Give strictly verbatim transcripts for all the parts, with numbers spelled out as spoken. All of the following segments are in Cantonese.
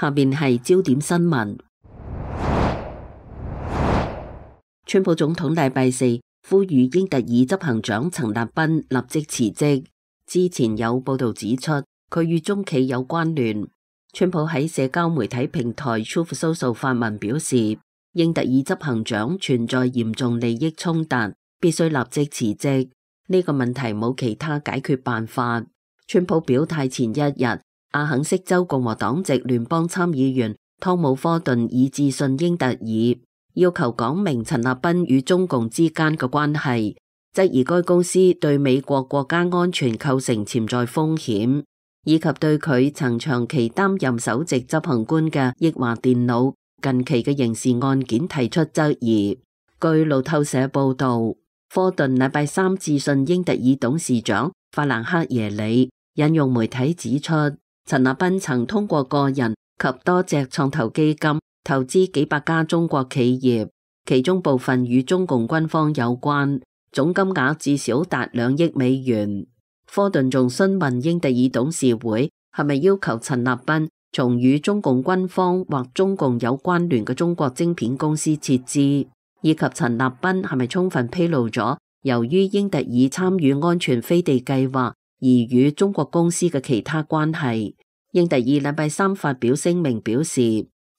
下面係焦點新聞。川普總統禮拜四呼籲英特爾執行長陳立彬立即辭職。之前有報道指出，佢與中企有關聯。川普喺社交媒體平台 Truth Social 發文表示，英特爾執行長存在嚴重利益衝突，必須立即辭職。呢個問題冇其他解決辦法。川普表態前一日，阿肯色州共和黨籍聯邦參議員湯姆科頓已致信英特爾，要求講明陳立彬與中共之間嘅關係，質疑該公司對美國國家安全構成潛在風險，以及對佢曾長期擔任首席執行官嘅益華電腦近期嘅刑事案件提出質疑。據路透社報道，科頓禮拜三致信英特爾董事長法蘭克耶里，引用媒體指出，陳立彬曾通過個人及多隻創投基金投資幾百家中國企業，其中部分與中共軍方有關，總金額至少達兩億美元。科頓仲詢問英特爾董事會係咪要求陳立彬從與中共軍方或中共有關聯嘅中國晶片公司撤資，以及陳立彬係咪充分披露咗由於英特爾參與安全飛地計劃而與中國公司嘅其他關係。英特爾禮拜三發表聲明表示，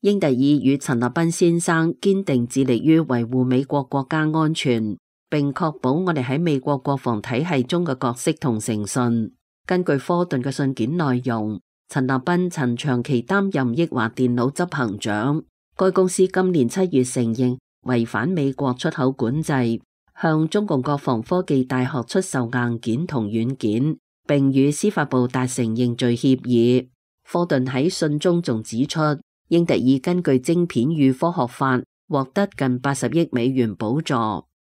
英特爾與陳立彬先生堅定致力於維護美國國家安全，並確保我哋喺美國國防體系中嘅角色同誠信。根據科頓嘅信件內容，陳立彬曾長期擔任益華電腦執行長，該公司今年七月承認違反美國出口管制，向中共國防科技大學出售硬件同軟件，並與司法部達成認罪協議。科頓喺信中仲指出，英特爾根據晶片與科學法獲得近八十億美元補助，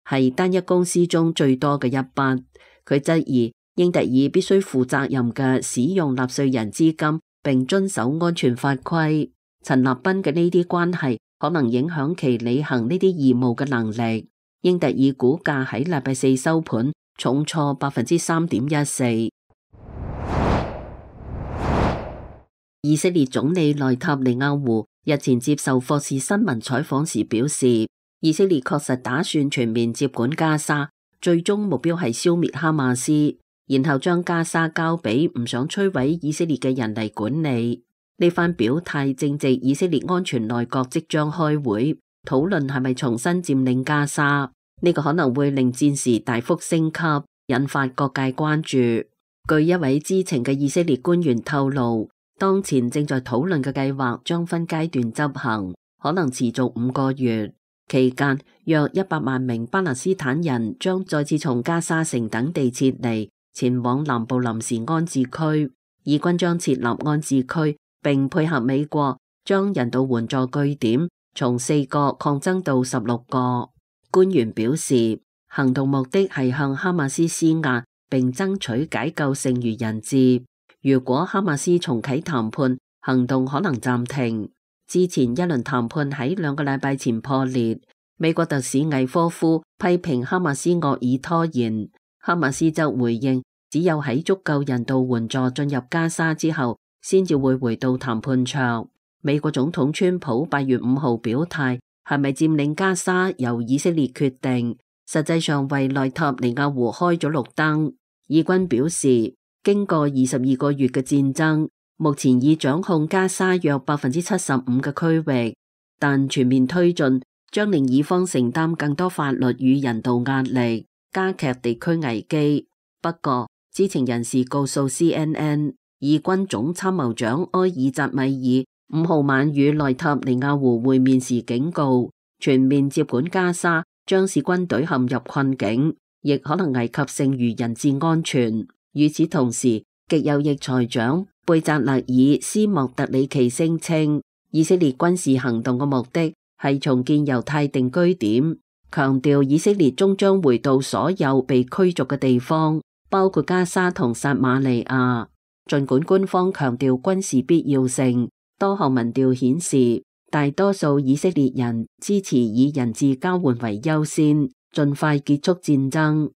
係單一公司中最多嘅一筆。佢質疑英特爾必須負責任嘅使用納稅人資金，並遵守安全法規。陳立彬嘅呢啲關係可能影響其履行呢啲義務嘅能力。英特爾股價喺禮拜四收盤重挫百分之三點一四。以色列總理內塔尼亞胡日前接受霍士新聞採訪時表示，以色列確實打算全面接管加沙，最終目標係消滅哈馬斯，然後將加沙交俾唔想摧毀以色列嘅人嚟管理。呢番表態正值以色列安全內閣即將開會討論係咪重新佔領加沙，呢個可能會令戰事大幅升級，引發各界關注。據一位知情嘅以色列官員透露，當前正在討論嘅計劃將分階段執行，可能持續五個月。期間，約一百萬名巴勒斯坦人將再次從加沙城等地撤離，前往南部臨時安置區。以軍將設立安置區，並配合美國將人道援助據點從四個擴增到十六個。官員表示，行動目的係向哈馬斯施壓，並爭取解救剩餘人質。如果哈馬斯重啟談判，行動可能暫停。之前一輪談判喺兩個禮拜前破裂，美國特使魏科夫批評哈馬斯惡意拖延，哈馬斯則回應，只有喺足夠人道援助進入加沙之後，先至會回到談判桌。美國總統川普八月五號表態，係咪佔領加沙由以色列決定，實際上為內塔尼亞胡開咗綠燈。以軍表示，經過二十二個月嘅戰爭，目前已掌控加沙約百分之七十五嘅區域，但全面推進將令以方承擔更多法律與人道壓力，加劇地區危機。不過，知情人士告訴 C N N， 以軍總參謀長埃爾扎米爾五號晚與內塔尼亞胡會面時警告，全面接管加沙將使軍隊陷入困境，亦可能危及剩餘人質安全。與此同時，極右翼財長貝扎勒爾斯莫特里奇聲稱，以色列軍事行動嘅目的係重建猶太定居點，強調以色列終將回到所有被驅逐嘅地方，包括加沙同撒馬利亞。儘管官方強調軍事必要性，多項民調顯示，大多數以色列人支持以人質交換為優先，盡快結束戰爭。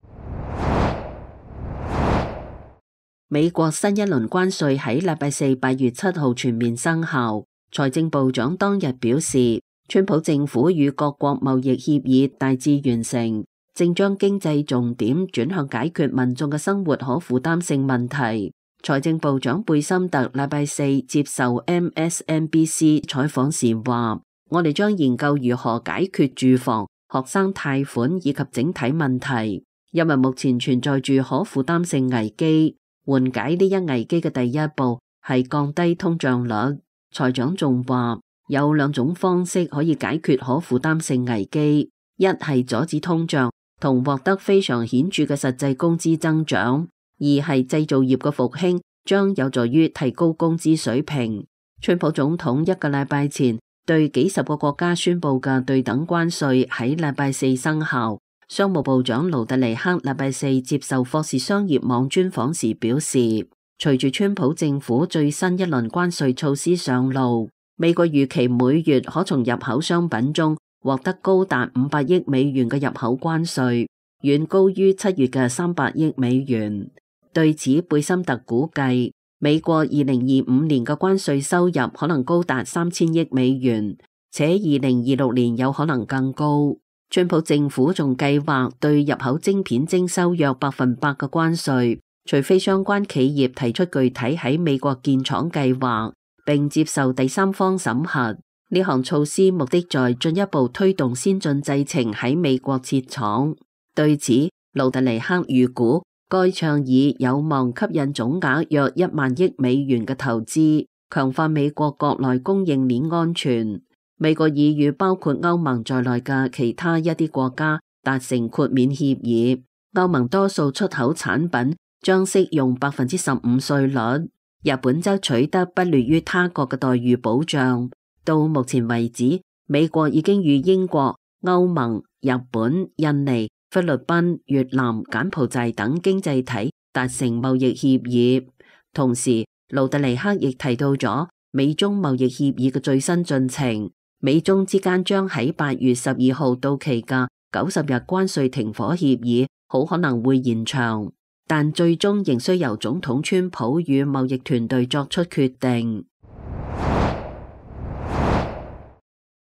美國新一輪關稅喺禮拜四八月七號全面生效，財政部長當日表示，川普政府與各國貿易協議大致完成，正將經濟重點轉向解決民眾嘅生活可負擔性問題。財政部長貝森特禮拜四接受 M S N B C 採訪時話，我哋將研究如何解決住房、學生貸款以及整體問題，因為目前存在住可負擔性危機。緩解呢一危機嘅第一步係降低通脹率。財長仲話，有兩種方式可以解決可負擔性危機，一係阻止通脹同獲得非常顯著嘅實際工資增長，二係製造業嘅復興將有助於提高工資水平。川普總統一個禮拜前對幾十個國家宣布嘅對等關稅喺禮拜四生效。商務部長盧特尼克禮拜四接受霍士商業網專訪時表示，隨住川普政府最新一輪關稅措施上路，美國預期每月可從入口商品中獲得高達五百億美元嘅入口關稅，遠高於七月嘅三百億美元。對此，貝森特估計，美國二零二五年嘅關稅收入可能高達三千億美元，且二零二六年有可能更高。川普政府仲計劃對入口晶片徵收約百分百嘅關稅，除非相關企業提出具體喺美國建廠計劃，並接受第三方審核。呢項措施目的在進一步推動先進製程喺美國設廠。對此，盧特尼克預估該倡議有望吸引總額約一萬億美元嘅投資，強化美國國內供應鏈安全。美國已與包括歐盟在內嘅其他一啲國家達成豁免協議，歐盟多數出口產品將適用百分之十五稅率，日本則取得不劣於他國嘅待遇保障。到目前為止，美國已經與英國、歐盟、日本、印尼、菲律賓、越南、柬埔寨等經濟體達成貿易協議。同時，盧特尼克亦提到咗美中貿易協議嘅最新進程。美中之間將喺八月十二號到期嘅九十日關稅停火協議，好可能會延長，但最終仍需由總統川普與貿易團隊作出決定。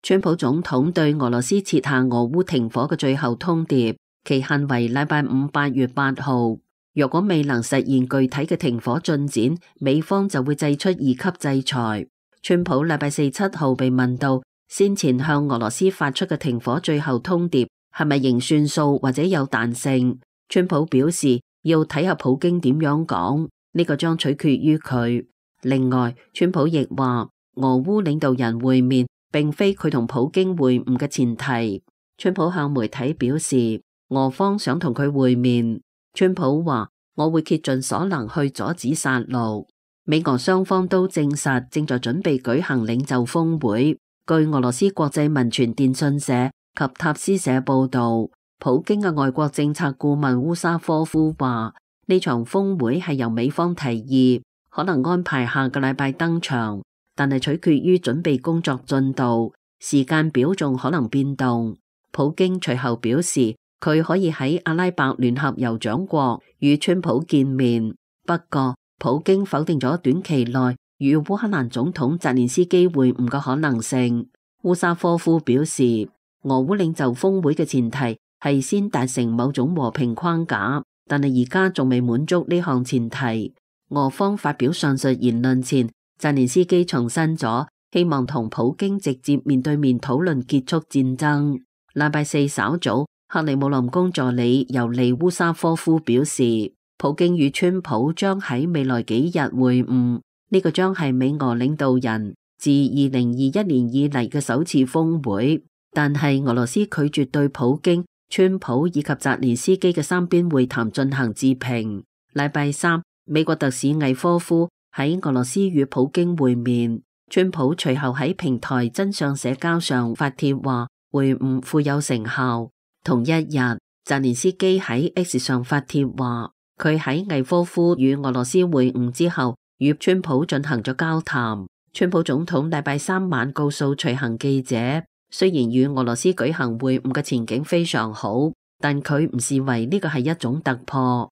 川普總統對俄羅斯設下俄烏停火嘅最後通牒，期限為禮拜五八月八號。若果未能實現具體嘅停火進展，美方就會祭出二級制裁。川普禮拜四七號被問到，先前向俄羅斯發出嘅停火最後通牒係咪仍算數或者有彈性？川普表示要睇下普京點樣講，呢個將取決於佢。另外，川普亦話俄烏領導人會面並非佢同普京會晤嘅前提。川普向媒體表示，俄方想同佢會面。川普話，我會竭盡所能去阻止殺戮。美俄雙方都證實正在準備舉行領袖峰會。據俄羅斯國際民傳電訊社及塔斯社報道，普京嘅外國政策顧問烏沙科夫話，呢場峰會係由美方提議，可能安排下個禮拜登場，但係取決於準備工作進度，時間表仲可能變動。普京隨後表示，佢可以喺阿拉伯聯合酋長國與川普見面，不過普京否定咗短期內與烏克蘭總統澤連斯基會晤嘅可能性。烏沙科夫表示，俄烏領袖峰會嘅前提係先達成某種和平框架，但係而家仲未滿足呢項前提。俄方發表上述言論前，澤連斯基重申咗希望同普京直接面對面討論結束戰爭。禮拜四稍早，克里姆林宮助理尤利烏沙科夫表示，普京與川普將喺未來幾日會晤。呢個將係美俄領導人自二零二一年以嚟嘅首次峰會，但係俄羅斯拒絕對普京、川普以及澤連斯基嘅三邊會談進行置評。禮拜三，美國特使魏科夫喺俄羅斯與普京會面，川普隨後喺平台真相社交上發帖話會晤富有成效。同一日，澤連斯基喺 X 上發帖話佢喺魏科夫與俄羅斯會晤之後，與川普進行咗交談。川普總統禮拜三晚告訴隨行記者，雖然與俄羅斯舉行會晤嘅前景非常好，但佢唔視為呢個係一種突破。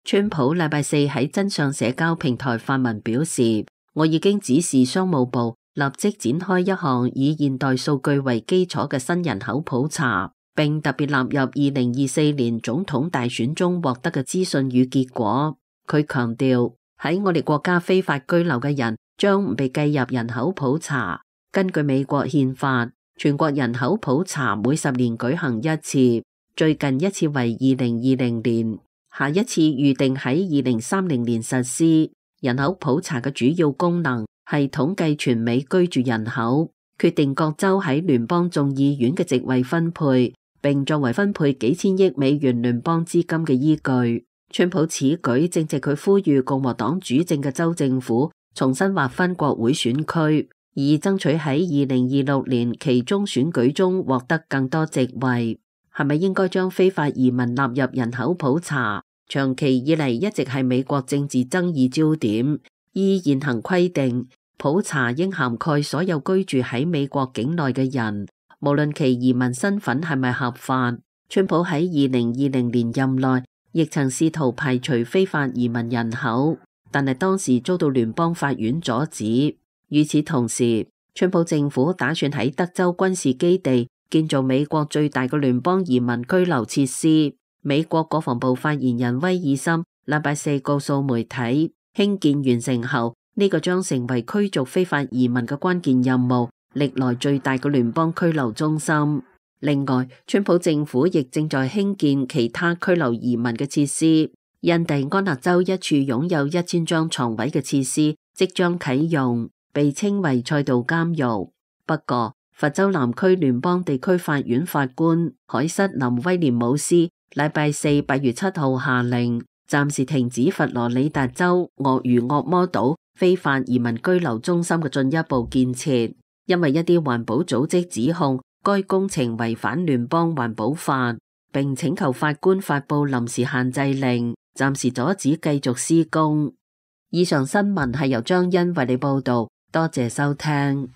川普禮拜四喺真相社交平台發文表示，我已經指示商務部立即展開一項以現代數據為基礎嘅新人口普查，並特別納入二零二四年總統大選中獲得嘅資訊與結果。佢強調，喺我哋國家非法居留嘅人將唔被計入人口普查。根據美國憲法，全國人口普查每十年舉行一次，最近一次為二零二零年，下一次預定喺二零三零年實施。人口普查嘅主要功能係統計全美居住人口，決定各州喺聯邦眾議院嘅席位分配，並作為分配幾千億美元聯邦資金嘅依據。川普此舉正值佢呼籲共和黨主政嘅州政府重新劃分國會選區，以爭取喺二零二六年期中選舉中獲得更多席位。係咪應該將非法移民納入人口普查？長期以嚟一直係美國政治爭議焦點。依現行規定，普查應涵蓋所有居住喺美國境內嘅人，無論其移民身份係咪合法。川普喺二零二零年任內亦曾試圖排除非法移民人口，但係當時遭到聯邦法院阻止。與此同時，川普政府打算喺德州軍事基地建造美國最大嘅聯邦移民居留設施。美國國防部發言人威爾森禮拜四告訴媒體，興建完成後，呢個將成為驅逐非法移民嘅關鍵任務，歷來最大嘅聯邦拘留中心。另外，川普政府亦正在興建其他拘留移民嘅設施。印第安納州一處擁有一千張床位嘅設施即將啟用，被稱為賽道監獄。不過，佛州南區聯邦地區法院法官凱瑟琳威廉姆斯禮拜四八月七號下令，暫時停止佛羅里達州鱷魚惡魔島非法移民居留中心嘅進一步建設，因為一啲環保組織指控該工程違反聯邦環保法，並請求法官發布臨時限制令，暫時阻止繼續施工。以上新聞係由張欣為你報道，多謝收聽。